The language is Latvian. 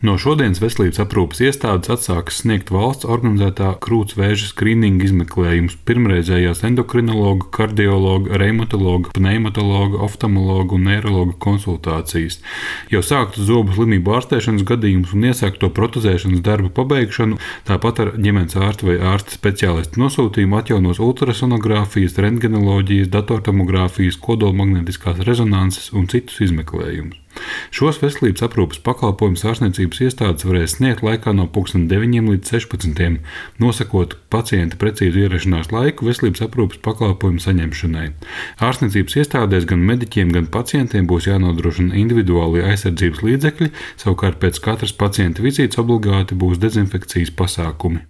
No šodienas veselības aprūpes iestādes atsākas sniegt valsts organizētā krūts vēža skrīninga izmeklējumus pirmreizējās endokrinologa, kardiologa, reumatologa, pneimatologa, oftalmologa un neirologa konsultācijas. Jau sāktu zobu slimību ārstēšanas gadījumus un iesākto protezēšanas darbu pabeigšanu, tāpat ar ģimenes ārsta vai ārsta speciālistu nosūtījumu atjaunos ultrasonogrāfijas, rentgenoloģijas, datortomogrāfijas, kodolmagnētiskās rezonanses un citus izmeklējumus. Šos veselības aprūpes pakalpojumus ārstniecības iestādes varēs sniegt laikā no 9 līdz 16, nosakot pacienta precīzu ierašanās laiku veselības aprūpes pakalpojumu saņemšanai. Ārstniecības iestādēs gan mediķiem, gan pacientiem būs jānodrošina individuālie aizsardzības līdzekļi, savukārt pēc katras pacienta vizītes obligāti būs dezinfekcijas pasākumi.